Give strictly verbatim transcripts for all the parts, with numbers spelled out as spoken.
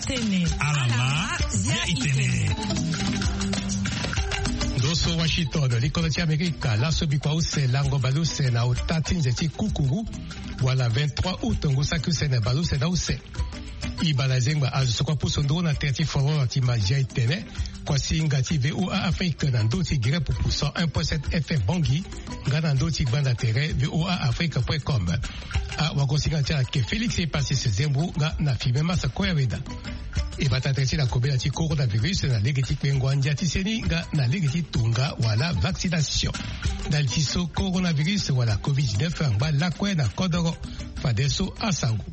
Tene. Alama, ya itene. Ndo so Washington, likolo ti Amerika, laso bikua use, lango baleuse na ota ti nze ti kukuru, wala vingt-trois août, ngu saki use na baleuse na use. Ibala zengba azo so kua pusu nduru na tere ti fololo ti Mazia itene, kua singa ti V O A Afrique na ndo ti gere pupu cent un point sept F M Bangui, nga na ndo ti gbanda tere V O A Afrique point com. A wagosinga ti ala ke Félix Epasis Zembo nga na Filme Masa Koyaweda. E bata tere ti na kobela ti coronavirus na lege ti kpengo andia ti seni nga na lege ti tonga wala vaccination. Ndali ti so coronavirus wala covid dix-neuf angba lakue na kodoro. Fadeso asango.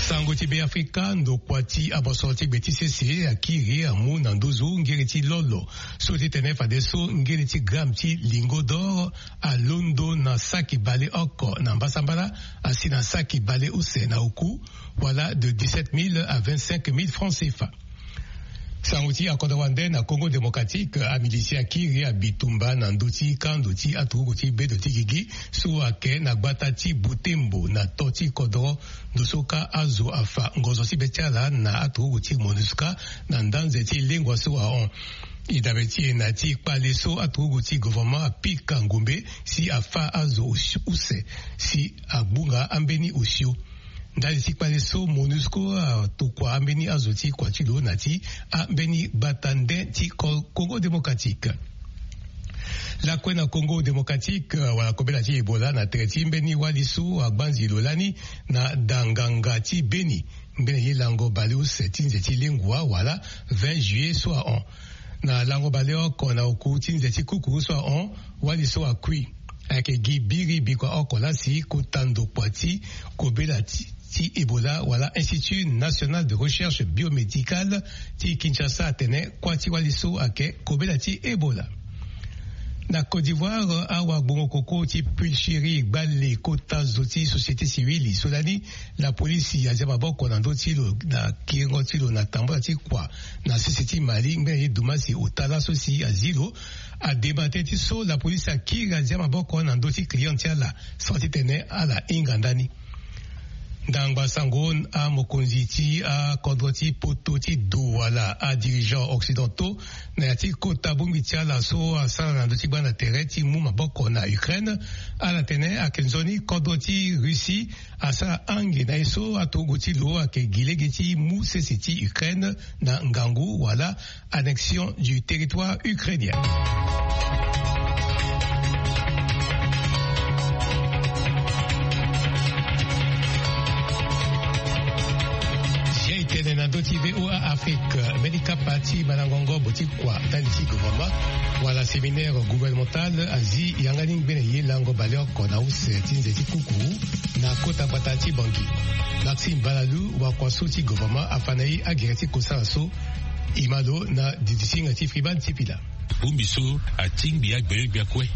Sango ti Beafrika, ndokua ti abosoro ti gbe ti sese akiri amu na nduzu ngiri ti lolo so ti tene fadeso ngiri ti gramme ti lingot d'or alondo na saki baleoko na mbasambala, asi na saki baleuse na oku, wala de dix-sept mille à vingt-cinq mille francs C F A. Sango ti akodro wande na Congo Démocratique, amilisi akiri abitumba na ndö ti kando ti aturuku ti bedo ti gigi so ake na gbata ti Butembo na to ti kodro. Ndo so ka azo afa ngonzo ti be ti ala na aturuku ti MONUSCA na ndanze ti lengua so ahon. E dabe ti e na ti kpale so aturuku ti gouvernement apika ngombe si afa azo use si agbunga ambeni osio. Ndali ti kpale so MONUSCO atokua ambeni azo ti kua ti lo na ti ambeni gbata nde ti Ko-, Congo Démocratique. Lakue na Congo Démocratique, wala kobela ti Ebola na tere ti mbeni wali so agbanzi lo lani na danganga ti Beni, mbeni ye lango baleuse ti nze ti lengua wala vingt juillet so ahon. Na lango baleoko na oku ti nze ti kukuru so ahon, wali so akui. Ayeke gi biri bikua oko laa si kota ndokua ti kobela ti, ti Ebola wala Institut National de Recherche Biomédicale ti Kinshasa atene kua ti wali so ayeke kobela ti Ebola. Na Côte d'Ivoire, awagbongo koko ti Pulcherie gbale kota zo ti société civile so lani lapolisi azia maboko na ndö ti lo na kiringo ti lo na tambula ti kua na sese ti Mali ngbene ye dumasi ota laso si azi lo. Ademba tënë ti so lapolisi akiri azia maboko na ndö ti client ti ala, sans titene ala hinga ndani. Ndangba sango, amokonzi ti akodro ti poto ti do wala adirigeant occidentaux na ya ti kota bongbi ti ala so asara na ndö ti gbanda tere ti mu maboko na Ukraine, ala tene ayeke nzoni kodro ti Russie asara ange na ye so aturugu ti lo ayeke gi lege ti mu sese ti Ukraine na ngangu wala annexion du territoire ukrainien. Sia e tene na ndö ti V O A Afrique, mbeni kapa ti malango ngobo ti kua ndali ti gouvernement wala séminaire gouvernemental azi yanga ni ngbene ye lango baleoko na use ti nze ti kuku na kota gbata ti Bangui. Maxime Balalu, wakua so ti gouvernement, afa na e agere ti kosala so. E ma lo na didi singa ti Friban Tipila. Bongbi so atingbi agbenyo-gbia kue.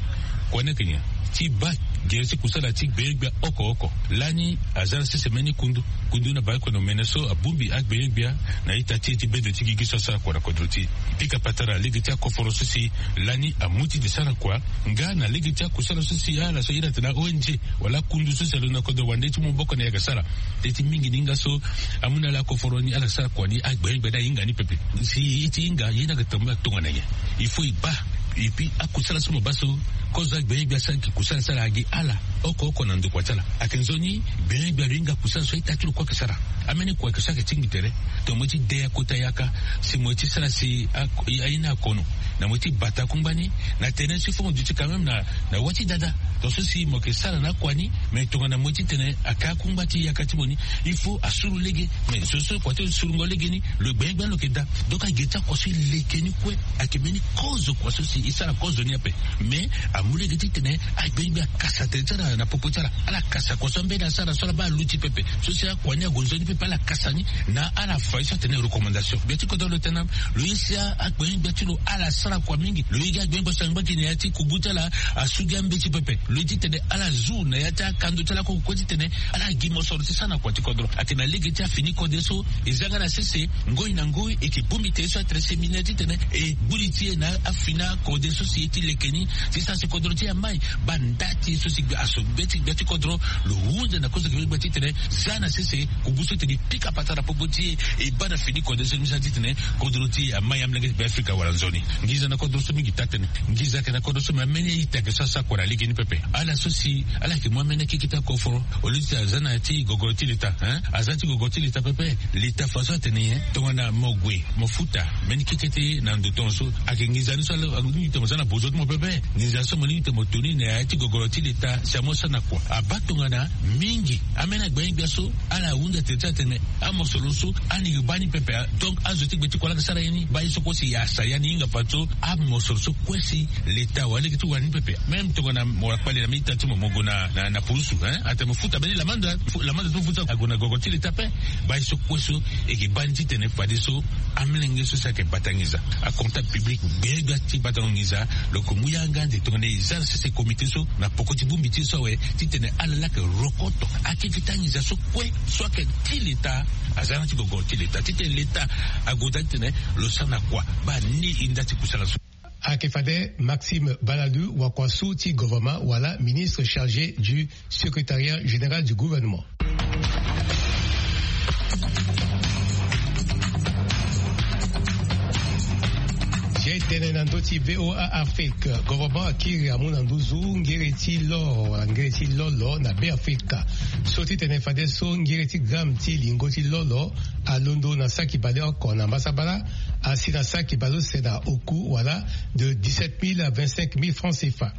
Kua ni ayeke nyen? Ti baa gere ti kusala ti gbenyo-gbia oko oko. Lani aza na sese mbeni kundu, kundu na baiko na omene so abongbi agbenyo-gbia na ita ti e ti bedo ti gigi so asara kua na kodro ti e. Pika patara lege ti akoforo so si lani amu ti de sara kua, nga na lege ti akusala so si ala so ahiri atene O N G wala akundu so si alondo na kodro wande ti mu maboko na e ayeke sara. Teti mingi ni nga so amu na ala akoforo ni ala sara kua ni agbenyo-gbia ni ahinga ni pepe. Si e ti hinga ye ni ayeke tongana nyen? Il faut e baa. Et puis akusala so mo baa so kozo agbenyo-gbia asara gi kusala ti ala agi ala oko oko na ndokua ti ala. Ayeke nzoni gbenyo-gbia lo hinga kusala so a-ita ti lo kue ayeke sara. Ambeni kua ayeke so ayeke tingbi tere. Tongana mo ye ti de akota yaka si mo ye ti sara si a, a, aye ni akono. Na mo ye ti bata akungba ni na tene so il faut mo duti quand même na, na wâ ti dada. Tonga so si mo yeke sara na akua ni, mais tongana mo ye ti tene aka akungba ti yaka ti mo ni, il faut asuru lege. Mais so so kua ti lo surungo lege ni, lo gbenyo-gbia ni lo yeke daa. Donc agi ti akua so e leke ni kue ayeke mbeni kozo kua so si e sara kozo ni ape. Mais amu lege titene agbenyo-gbia akasa tere ti ala na popo ti ala. Ala kasa kua so ambeni asara so ala baa aluti pepe. So si akua ni ague nzoni pepe ala kasa ni na ala fa ye so atene recommandation. Gbia ti kodro lo tene na lo ye si agbenyo-gbia ti lo ala sara kua mingi. Lo ye gi agbenyo-gbia so angba gi na ya ti kubu ti ala asu gi ambeti pepe. Lo ye titene ala zu na ya ti akando ti ala kue kue titene ala gi mosoro ti sara na kua ti kodro. Ayeke na lege ti afini kode so e za nga na sese ngoi na ngoi e yeke bongbi tere so atene séminaire titene e gbu li ti e na afini akode so si e ye ti leke ni ti sara si kodro ti e amai. Baa nda ti e so si gbe aso. Gbe ti gbe ti kodro lo hunde na kozo gbe gbe titene za na sese kugu so tene e pika patara popo ti e e baa na fini kode so ni za titene kodro ti e amai amolenge ti be afrika wala nzoni. Nginza na kodro so mingi taa tënë. Nginza ayeke na kodro so me ameni ita ayeke so asara kua na lege ni pepe. Ala so si ala yeke mu ameni akeke ti akoforo au lieu ti aza na ya ti gogoro ti leta, hein, aza ti gogoro ti leta pepe. Leta fa so atene nyen? Tongana mo gue mo futa mbeni keke ti e na ndo tongaso. Ayeke nginza ni so ala ni tene mo za na bozo ti mo pepe. Nginza so mo ni tene mo to ni na ya ti gogoro ti leta si amo sara na kua abaa tongana mingi. Ambeni agbenyo-gbia so ala hunda tene ti atene amosoro so ani yeke baa ni pepe. Donc azo ti gbe ti kua laa ayeke sara ye ni baa ye so kue si e asa ya ni hinga fadeso amosoro so kue si leta wala lege ti wara ni pepe. Même tongana mo wara kpale na mi ita ti mo mo gue na na purusu, hein, atene mo futa mbeni lamanda. Lamanda ti mo futa ague na gogo ti leta ape. Baa ye so kue so e yeke baa ni titene fadeso amolenge so si ayeke bata nginza, acomptable public, gbegbe ti batango nginza. Lo yeke mu yanga ande tongana e za na sese komite so na poko ti bongbi ti e so awe titene ala laa ayeke rokoto akeke ti anginza so kue so ayeke ti leta. Aza na ti gogo ti leta titene leta ague daa titene lo sara na kua baa ni e nda ti kusala so. Ayeke fade Maxime Balalu, wakua so ti gouvernement wala ministre chargé du secrétariat général du gouvernement. Ye tene na ndö ti VOA Afrique, gouvernement akiri amu na nduzu ngere ti lor wala ngere ti lolo na Beafrika. So ti tene fadeso ngere ti gramme ti lingo ti lolo alondo na saki baleoko na mbasabala, asi na saki baleuse na oku wala de dix-sept mille à vingt-cinq mille francs CFA.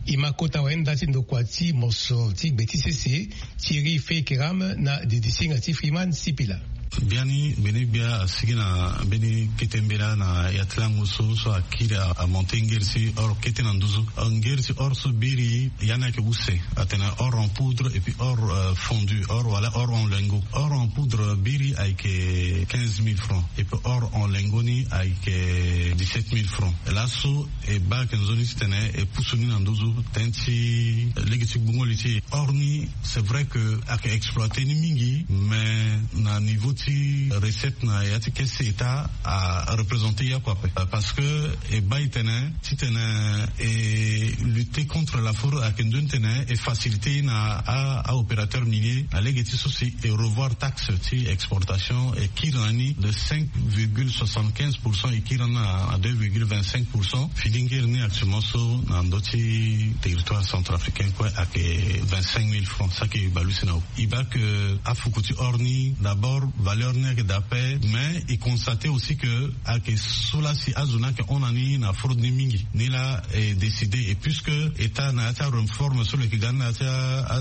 E ma kota wayenda ti ndokua ti mosoro ti gbe ti sese, Thierry Feikeram na didisinga ti Freeman Sipila. Biani mbeni gbia asigi na mbeni kete mbela na ya ti lango so so akiri amonte ngeri ti or kete na nduzu. Ngeri ti or so biri ya ni ayeke use, atene or en poudre et puis or fondu, or wala or en lingot. Or en poudre biri ayeke quinze mille francs et puis or en lingot ni ayeke dix-sept mille francs. Laso e baa ayeke nzoni titene e pusu ni na nduzu tënë ti lege ti gbungo li ti e. Or ni c'est vrai que ayeke exploite ni mingi, mais na niveau ti recette na ya ti caisse état areprésente ye oko ape. Parce que e baa e tene titene e lutter contre la fraude ayeke nzoni titene e faciliter na aopérateur minier na lege ti so si e revoir taxe ti exportation e kiri na ni de cinq virgule soixante-quinze pour cent e kiri na ni na deux virgule vingt-cinq pour cent. Fini ngeri ni actuellement so na ndö ti territoire centrafricain kue ayeke vingt-cinq mille francs, so ayeke baleuse na oku. E baa ke afuku ti or ni d'abord valeur ni ayeke daa ape, mais e constate aussi ke ayeke so laa si azo ni ayeke hon na ni na fraude ni mingi. Ni laa e décide et puisque état na ya ti areforme so lo yeke ga ni na ya ti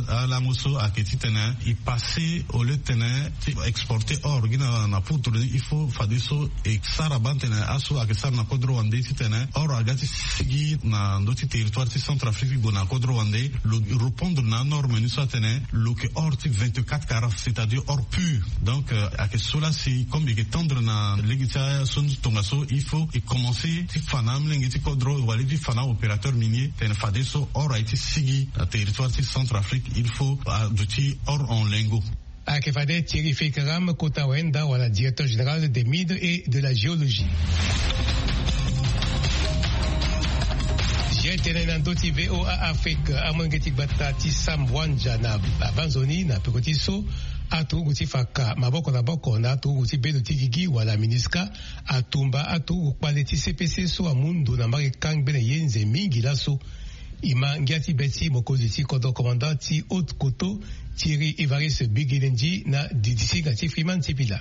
alango so ayeke titene e passe au lieu titene ti exporter or gi na poudre ni, il faut fadeso e sara baa titene aso ayeke sara na kodro wande titene or aga ti sigi na ndö ti territoire ti Centrafrique ti gue na kodro wande, lo répondre na anorme ni so atene lo yeke or ti vingt-quatre carats, c'est-à-dire or pur. Donc ayeke so laa si comme e yeke tendre na lege ti aso ni ti tongaso, il faut e commencer ti fa na amolenge ti kodro wala ti fa na aopérateur minier tene fadeso or aye ti sigi na territoire ti Centrafrique, il faut aduti or en lingot. Ayeke fade Thierry Feikaram, kota wayenda wala directeur général des mines et de la géologie. Ye tene na ndö ti VOA Afrique, amolenge ti gbata ti Sam Wanja na avanzoni na peko ti so aturugu ti fa ka maboko na maboko na aturugu ti bendo ti gigi wala MINUSCA atumba aturugu kpale ti CPC so amu ndo na mbage kangbene ye nze mingi laso. E ma ngia ti be ti mokonzi ti kodro, commandant ti Haute Koto, Thierry Evariste Biginendi na didisinga ti Freeman Sipila.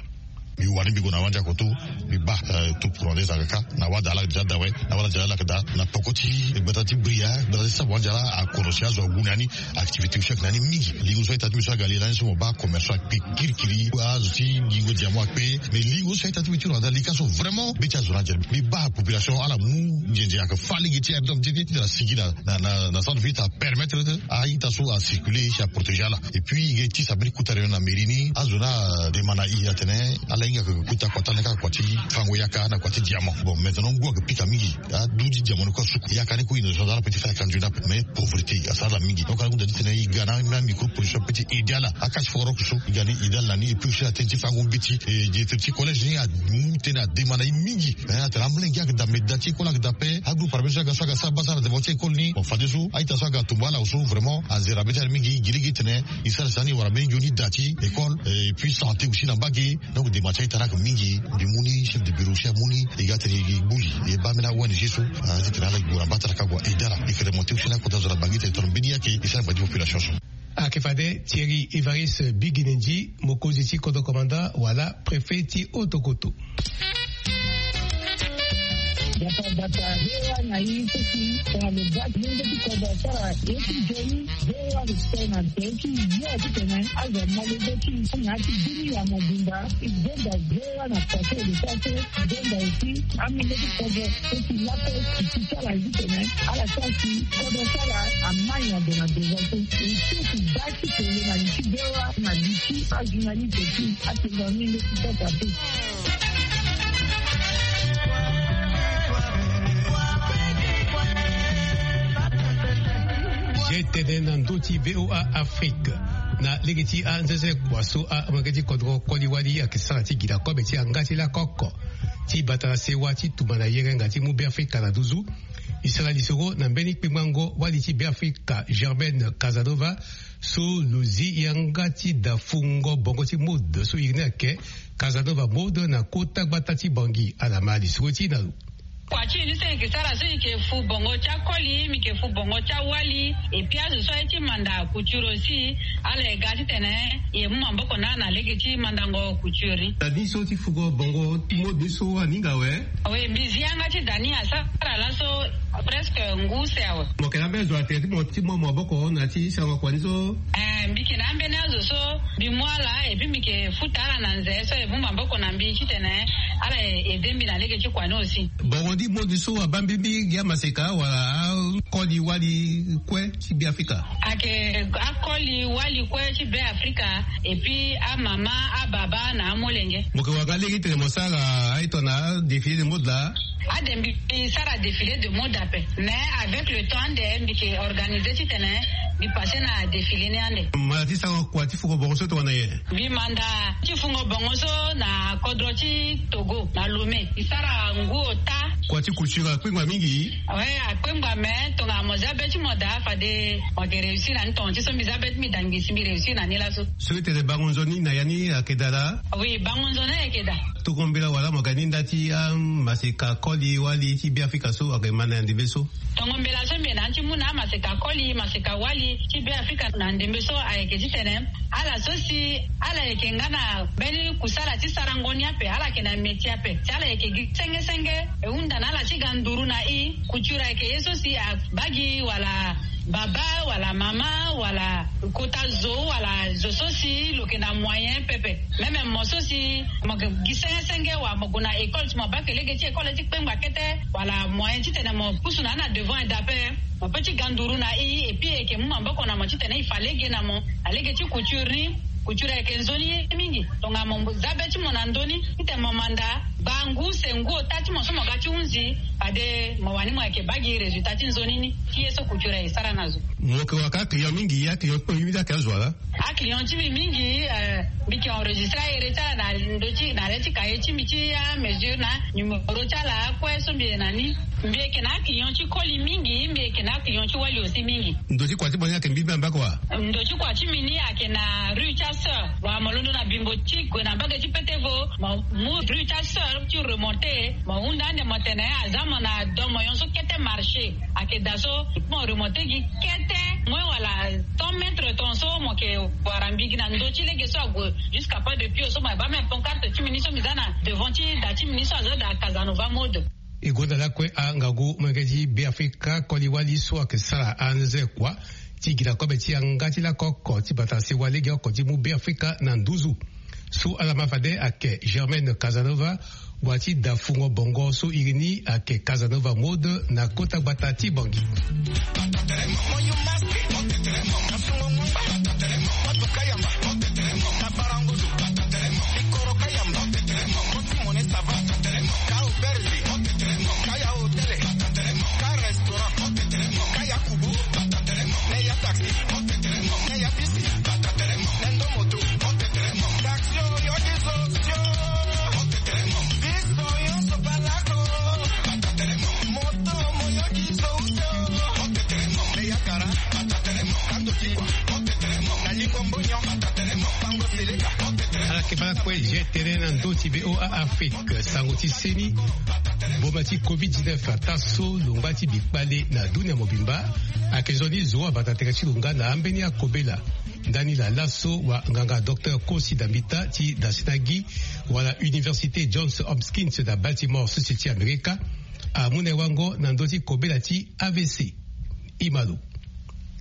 Mbi wani mbi gue na Wanja Koto, mbi baa tupu rwandais ayeke kâ na wada laa déjà daa awe, na wada déjà laa ayeke daa na poko ti gbata ti Bria, gbata ti Sam Wanja laa akono si azo agu na ni. Activité so ayeke na ni mingi. Lingo so a-ita ti mbi so aga li lani so mo baa commerçant akpe kirikiri, azo ti gingo diamant akpe. Mais lingo so a-ita ti mbi ti Rwanda lika so vraiment be ti azo ni adia. Mbi baa population ala mu nzenze ayeke fâ lege ti air d'homme ti e ti tene asigi na na na na centre ville ti apermettre a-ita so acirculer si aprotégé ala. Et puis e ge ti sa mbeni kota réunion na mairie ni, azo ni ademande na e atene ala Mingi ayeke kota kota ni kaka kua ti fango yaka na kua ti diamant. Bon, maintenant ngu ayeke pika mingi. Adu ti diamant ni kue asuku yaka ni kue, ino so ala pe ti fa yaka nzoni ape, mais pauvreté asara ala mingi. Donc ala hunda ti tene e ga na amicro production ape ti aidé ala, akasi foro oko so e ga ni aidé ala na ni. Et puis aussi atene ti fango mbeti, e directeur ti collège ni amu tënë ademande na e mingi. Eh, atene amolenge ayeke daa, mais da ti école ayeke daa ape. Agroupe arabe so aga so aga sara baa sara devant ti école ni. Bon, fadeso a-ita so aga tombo ala so vraiment azere abe ti ala mingi. Gi lege tene e sara si ani wara mbeni nzoni da ti école, eh, et puis santé aussi na mbage. Donc dema ti a-ita ni ayeke mingi. Mbi mu ni chef de bureau aussi amu ni, e ga tene e gbuli e baa mbeni a-O N G so, ah, ti tene ala gi gue na mbataraka gue aidé ala. E yeke remonté aussi na kota zo na Bangui tene tongana mbeni ye ayeke e sara ngba ti population so. Ayeke fade Thierry Évariste Biguinendi, mokonzi ti kodro commandant wala préfet ti Haut-Okoto. Gbata gbata V O A na e so si tongana lo ga ti lenge ti kodro asara ye ti nzoni, V O A lo sere na tere ti yo titene azo amolenge ti e na ya ti bini ya mobimba. E gbonga V O A na kua so e lo sara so, e gbonga aussi amolenge ti kodro so si lape e ti sara titene ala sara si kodro ti ala amai na ndo na devant so. E so si da ti tene na li ti V O A na li ti ajournaliste ti atene na ni nde ti sasa te. Zia e tene na ndö ti V O A Afrique. Na lege ti anzenze kua so amolenge ti kodro koli wali ayeke sara ti gi na kobe ti yanga ti lako oko ti bata na sewa ti tumba na yerenga ti mu Beafrika na nduzu. E sara lisoro na mbeni kpengbango wali ti Beafrika Germaine Casanova, so lo zi yanga ti da fungo bongo ti mode so iri ni ayeke Casanova Mode na kota gbata ti Bangui. Ala ma lisoro ti e na lo. Kua ti e ni so e yeke sara so e yeke fu bongo ti akoli, mbi yeke fu bongo ti awali. Et puis azo so aye ti manda couture aussi, ala ye ga titene e mu maboko na ala na lege ti mandango couture ni. Da ni so ti fugo bongo ti mode ni so aninga awe? Oui, mbi zi yanga ti da ni asara laso presque ngu use awe. Mo yeke na ambeni zo na tere ti mo ti mu maboko na ya ti sarango kua ni so? Eh, mbi yeke na ambeni azo so mbi mu ala et puis mbi yeke futa ala na nze so e mu maboko na mbi titene ala e aidé mbi na lege ti kua ni aussi. Bongo ni mode so abaa mbi mingi amaseka wala akoli wali kue ti Beafrika? Ayeke akoli wali kue ti Beafrika et puis amama, ababa na amolenge. Mo yeke wara nga lege titene mo sara aye tongana défilé de mode laa? Ade mbi sara défilé de mode ape, mais avec le temps ande mbi yeke organisé titene mbi passé na défilé ni ande. Manda ti sara kua ti fugo bongo so tongana nyen? Mbi manda ti fungo bongo so na kodro ti Togo na Lomé. Mbi sara ngu ota. Kua ti couture akpengba mingi? Oui, akpengba, mais tongana mo zia be ti mo daa fade mo yeke réussir na ni. Tonga ti so mbi zia be ti mbi daa ngi si mbi réussir na ni laso. Soki tene bango nzoni na ya ni ayeke daa laa? Oui, bango nzoni ayeke daa. Tongo mbela wala mo yeke na ni nda ti amaseka koli wali ti Beafrika so ayeke ma na ya ndembe so? Tongo mbela so mbi yeke na ni ti mu na amaseka koli, maseka wali ti Beafrika na ndembe so ayeke titene ala so si ala yeke nga na mbeni kusala ti sarango ni ape, ala yeke na métier ape, si ala yeke gi senge senge, e hunda na ala ti ga nduru na e. Couture ayeke ye so si abaa gi wala baba wala mama wala kota zo wala zo so si lo yeke na moyen pepe. Même mo so si mo yeke gi senge senge wala mo gue na école, si mo baa ke lege ti école ti kpengba kete wala moyen titene mo pusu na ni na devant eda ape, mo peut ti ga nduru na e, et puis e yeke mu maboko na mo titene e fa lege na mo na lege ti couture ni. Couture ayeke nzoni ye mingi. Tongana mo zia be ti mo na ndö ni titene mo manda baa ngu use ngu ota ti mo so mo ga ti hunzi, fade mo wani mo yeke baa gi résultat ti nzoni ni ti ye so couture aye sara na zo. Mo yeke wara ka aclient mingi, aclient ti mo mingi ayeke azo wala? Aclient ti mbi mingi, eh, mbi yeke enregistré ahere ti ala na ndö ti na le ti cahier ti mbi ti amesure na numéro ti ala akue so mbi yeke na ni. Mbi yeke na aclient ti koli mingi, mbi yeke na aclient ti wali aussi mingi. Ndo ti kua ti mo ni ayeke mbi mbi na mbako wa? Ndo ti kua ti mbi ni ayeke na rue ti asœur. Wala mo londo na bimbo ti gue na mbage ti petevo, mo mu rue ti asœur ti remonté, mo hunda ande mo tene aza mo na do moyon so kete marché. Ayeke daa so mo remonté gi kete moins wala cent mètres ton so mo yeke wara mbi gi na ndo ti lege so ague jusqu'à pas de pio so mo yeke baa même pancarte ti mbi ni so mbi za na devant ti da ti mbi ni so aza da Casanova Mode. E gonda lakue angangu molenge ti Beafrika koli wali so ayeke sara anze kua ti gi na kobe ti yanga ti lako oko ti bata sewa lege oko ti mu Beafrika na nduzu. So ala ma fade ayeke Germaine Casanova, wa ti da fungo bongo so iri ni ayeke Casanova Mode na kota gbata ti Bangui. Ala ke bala kue je tene na ndö ti VOA Afrique, sango ti seni. Boma ti covid dix-neuf ata so lo ngba ti bikpale na dunia mobimba. Ayeke zo ni zo abata tere ti lo nga na ambeni akobela. Ndani la laso wa nganga docteur Kosi Dambita ti dasena gi wala Université Johns Hopkins na Baltimore, sese ti Amerika, amu na e wango na ndö ti kobela ti A V C. Imalo.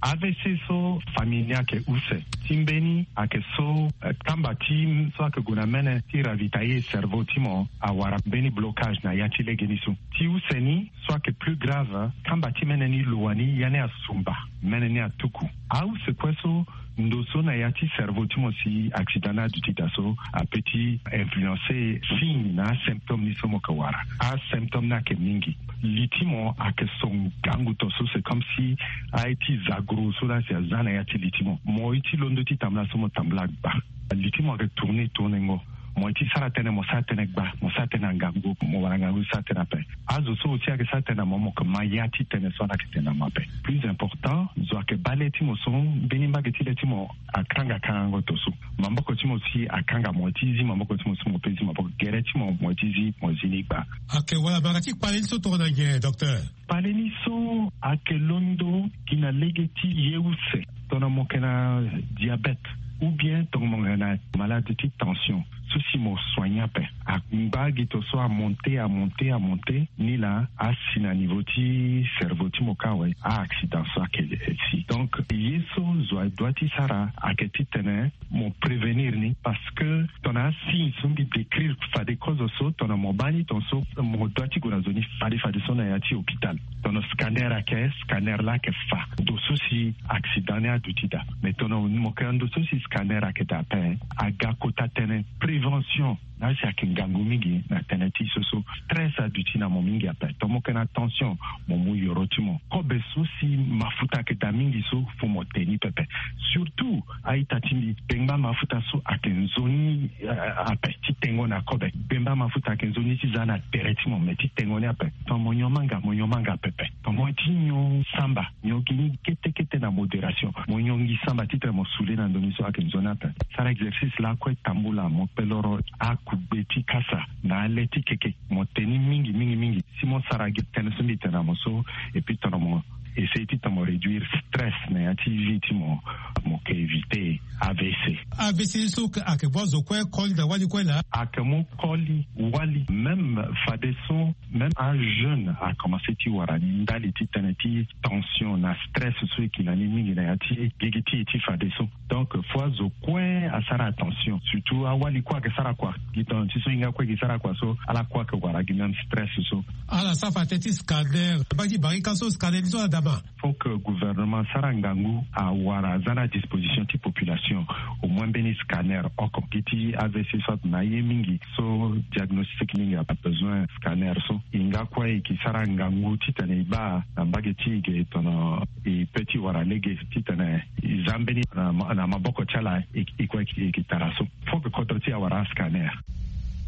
A V C so famille ni ayeke use. Ti mbeni ayeke so, eh, kamba ti so ayeke gue na mene ti ravitailler cerveau ti mo awara mbeni blocage na ya ti legeni so. Ti use ni so ayeke plus grave, kamba ti mene ni lo wani ya ni asumba, mene ni atuku. Ause kue so ndo so na ya ti cerveau ti mo si accident ni aduti daa so ape ti influencer signe na asymptôme ni so mo yeke wara. Asymptôme ni ayeke mingi. Li ti mo ayeke so ngangu to so, c'est comme si aye ti zagro so laa si aza na ya ti li ti mo. Mo ye ti londo ti tambula so mo tambula gba. Li ti mo ayeke tourner tourner ngo. Mo ye ti sara tënë, mo sara tënë gba, mo sara tënë na ngangu, mo wara ngangu ti sara tënë ape. Azo so aussi ayeke sara tënë na mo, mo yeke ma ya ti tënë so ala yeke tene na mo ape. Plus important, zo ayeke baa le ti mo so mbeni mbage ti le ti mo akanga kangango to so. Maboko ti mo si akanga, mo ye ti zi maboko ti mo so mo pe zi maboko. Gere ti mo, mo ye ti zi, mo zi ni gba. Ayeke wala mbage ti kpale ni so tongana nyen, docteur? Kpale ni so ayeke londo gi na lege ti ye use. Tongana mo yeke na diabète, ou bien tongana mo yeke na malade ti tension, so si mo soigner ape, angba gi to so amonter, amonter, amonter, ni laa asi na niveau ti cerveau ti mo kâ awe, a-accident so ayeke si. Donc ye so zo adoit ti sara ayeke titene mo prévenir ni, parce que tongana asigne so mbi décrire fade kozo so, tongana mo baa ni, tongaso mo doit ti gue na zo ni fade fade so na ya ti hôpital. Tongana scanner ayeke, scanner laa ayeke fa ndo so si accident ni aduti daa. Mais tongana mo yeke na ndo so si scanner ayeke daa ape, aga kota tënë prévention. Na si ayeke ngangu mingi na tënë ti so so. Stress aduti na mo mingi ape. Tongana mo yeke na tension, mo mu yoro ti mo. Kobe so si mafuta ayeke daa mingi so, fo mo te ni pepe. Surtout a-ita ti mbi, gbengba mafuta so ayeke nzoni, eh, ape ti tengo na kobe. Gbengba mafuta ayeke nzoni ti za na tere ti mo, me ti tengo ni ape. Tongana mo nyon manga, mo nyon manga pepe. Tongana mo ye ti nyon samba, nyon gi ni kete kete na modération. Mo nyon gi samba titene mo saoule na ndo ni so ayeke nzoni ape. Sara exercice lakue tambula, mo kpe loro akugbe ti kasa na ale ti keke. Mo te ni mingi mingi mingi. Si mo sara gi tënë so mbi tene na mo so, et puis tongana mo essayer titene mo réduire stress na ya ti vie ti mo, mo yeke éviter A V C. A V C so ayeke mu azo kue koli na wali kue laa? Ayeke mu koli wali, même fadeso même ajeune akomanse ti wara ni ndali ti tënë ti tension na stress so e yeke na ni mingi na ya ti gigi ti e ti fadeso. Donc fo azo kue asara attention, surtout awali kue ayeke sara kua. Gi tongana ti so hinga kue e yeke sara kua so, ala kue ayeke wara gi même stress so. Ala sara fa tënë ti scanner, mbage ti barika so scanner ni so ala daa ma? Faut que gouvernement asara ngangu awara aza na disposition ti population au moins mbeni scanner oko. Gi ti A V C so ape na aye mingi so diagnostic mingi abesoin scanner so. E nga kue e yeke sara ngangu titene e baa na mbage ti e ge tongana e pe ti wara lege titene e za mbeni na ma-, na maboko ti ala e, e kue e yeke tara so. Faut que kodro ti e awara ascanner.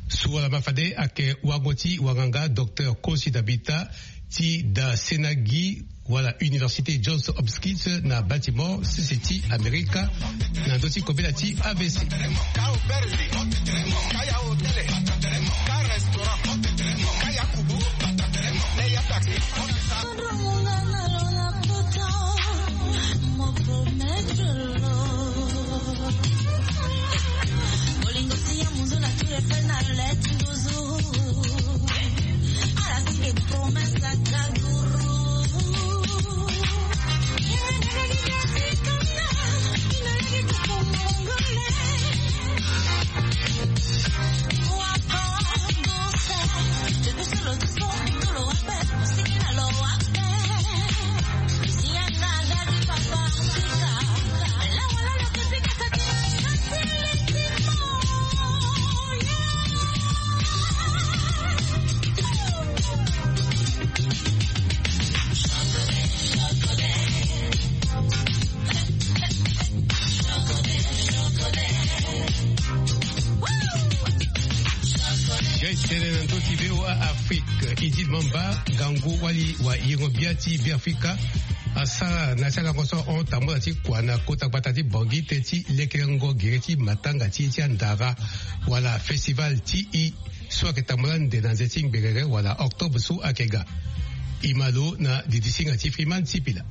So wala ma fade ayeke wango ti wanganga docteur Kosi Dambita ti dasena gi wala Université Johns Hopkins na Baltimore, sese ti Amerika, na ndö ti kobela ti A V C. Tene na ndö ti VOA Afrique, Idil Mamba, ngangu wali wa yengo-bia ti Beafrika, asara na ti alango so ahon tambula ti kua na kota gbata ti Bangui tënë ti lekerengo gere ti matanga ti e ti andara, wala festival ti e so ayeke tambula ande na nze ti ngberere wala octobre so ayeke ga. E ma lo na didisinga ti Freeman Sipila.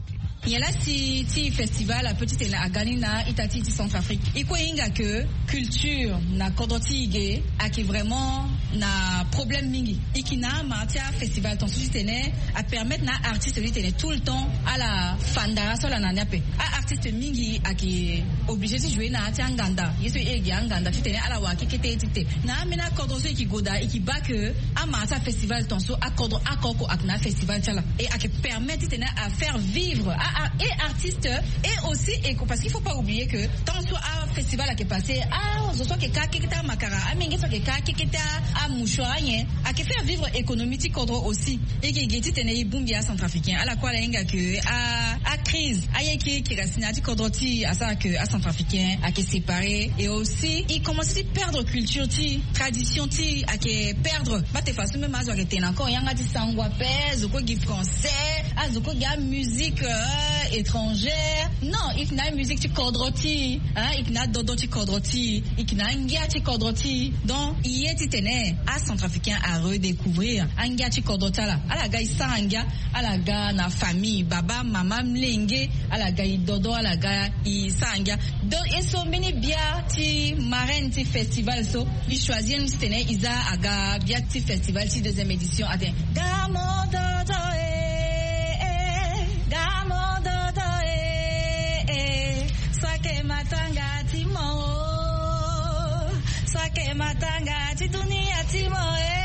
Nyen laa si ti festival ape titene aga ni na ita ti e ti Centrafrique? E kue e hinga ke culture na kodro ti e ge ayeke vraiment na problème mingi. E yeke na amara ti afestival tongaso titene apermettre na aartiste titene tout le temps ala fa ndara so ala na ni ape. Aartiste mingi ayeke obligé ti jouer na ya ti anganda, ye so e gi anganda titene ala wara kekete ye ti te. Na ambeni akodro so e yeke gue daa, e yeke baa ke amara ti afestival tongaso akodro oko oko ayeke na afestival ti ala. E ayeke permettre titene afaire vivre a, a, e artiste, et aussi e, parce qu'il faut pas oublier que tant so afestival ayeke passé, azo so ayeke ka kekete amakara, amenge so ayeke ka kekete amouchoir, anyen, ayeke faire vivre économie ti kodro aussi. E yeke gi titene e bongbi acentrafricain. Ala kue ala hinga ke a, acrise, aye ki e kiri asi na ya ti kodro ti e asara ke acentrafricain ayeke séparé. Et aussi e commencé ti perdre culture ti e, tradition ti e ayeke perdre. Mba te fa so même azo ayeke tene encore yanga ti sango ape, azo kue gi français, azo kue gi amusique, euh, étrangère. Non, e yeke na amusique ti kodro ti e, hein, e yeke na adodo ti kodro ti e, e yeke na angia ti kodro ti e. Donc e ye titene acentrafricain aredécouvrir angia ti kodro ti ala. Ala ga e sara ngia, ala ga na famille, baba, mama, molenge, ala ga e dodo, ala ga e sara ngia. Donc e so mbeni bia ti marraine ti festival so e choisir ni titene e za aga bia ti festival ti deuxième édition atene: Gamo dodo e, e, gamo dodo e, e, sake matanga ti mo o, sake matanga ti dunia ti mo e,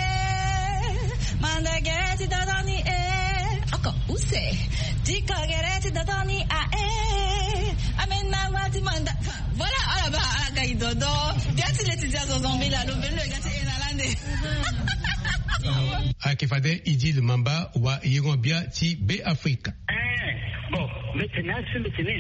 mandege ti dodo ni e, oko use ti kogere ti dodo ni a e, amena wa ti manda. Voilà, ala baa, ala ga e dodo. Bia ti le ti zia zo zambela lo mbeni lo e ga ti e na lande. Ayeke fade Idil Mamba wa yengo-bia ti Beafrika. Eh, bon, mbi tene asi mbi tene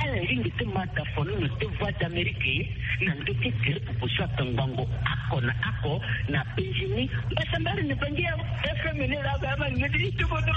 ala lingbi ti ma da fo ni na te Voix d'Amérique na ndö ti gere popo so atongbango oko na oko na Benjini. Mbasambari ni bangi ya F M ni la ba ma ni ti tubo do.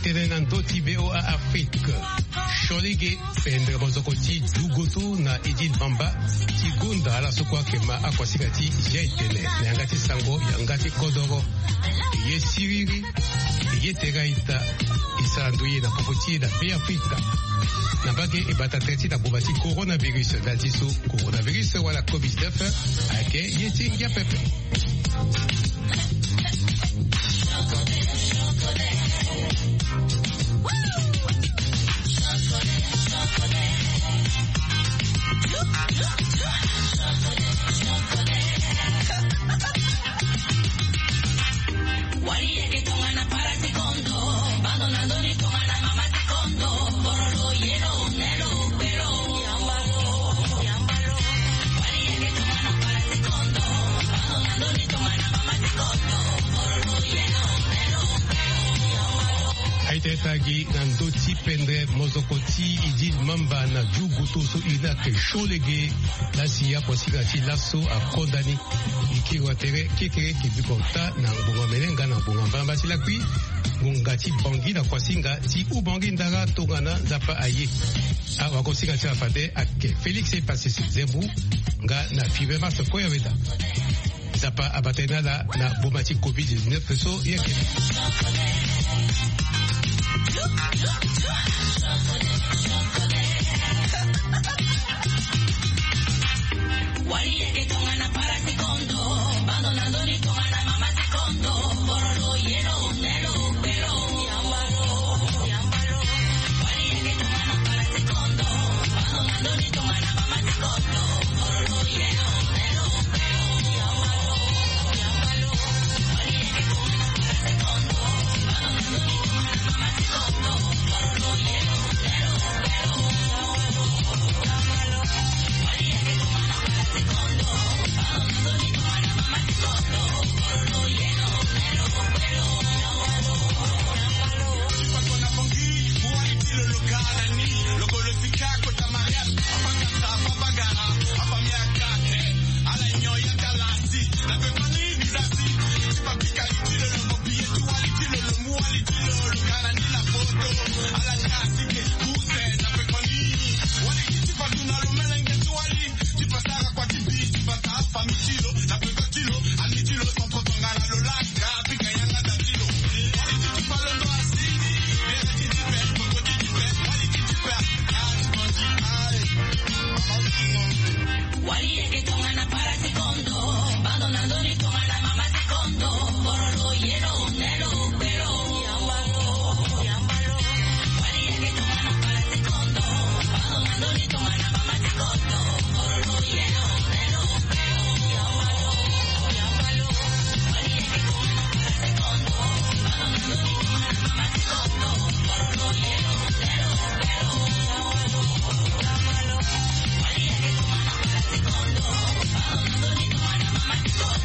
Tene na ndö ti V O A Afrique. Siolege, pendre mozoko ti dugoto na Idil Mamba ti gonda ala so kue ayeke ma akuasinga ti G I T N na yanga ti sango yanga ti kodoro. E ye siriri, e ye tere a-ita, e sara ndoye na popo ti e na Be Afrika. Na mbage e bata tere ti na gboma ti coronavirus, ndali ti so coronavirus wala covid dix-neuf ayeke ye ti ngia pepe. Aita e tagi na ndö ti pendre mozoko ti Idil Mamba na dugoto so e na ke siolege. Lasi akuasinga ti laso akonda ni. E kiri wa tere kekereke biko ota na ngbonga mene nga na ngbonga mbalamba ti lakui. Ngonga ti Bangui na kuasinga ti Oubangui ndara tongana Nzapa aye. Awagosinga ti ala fade ayeke Félix Epasese Zembu nga na Fibe Mars Koyaweda. Nzapa abata ye na ala na boma ti covid dix-neuf so e yeke. Wali yeke tongana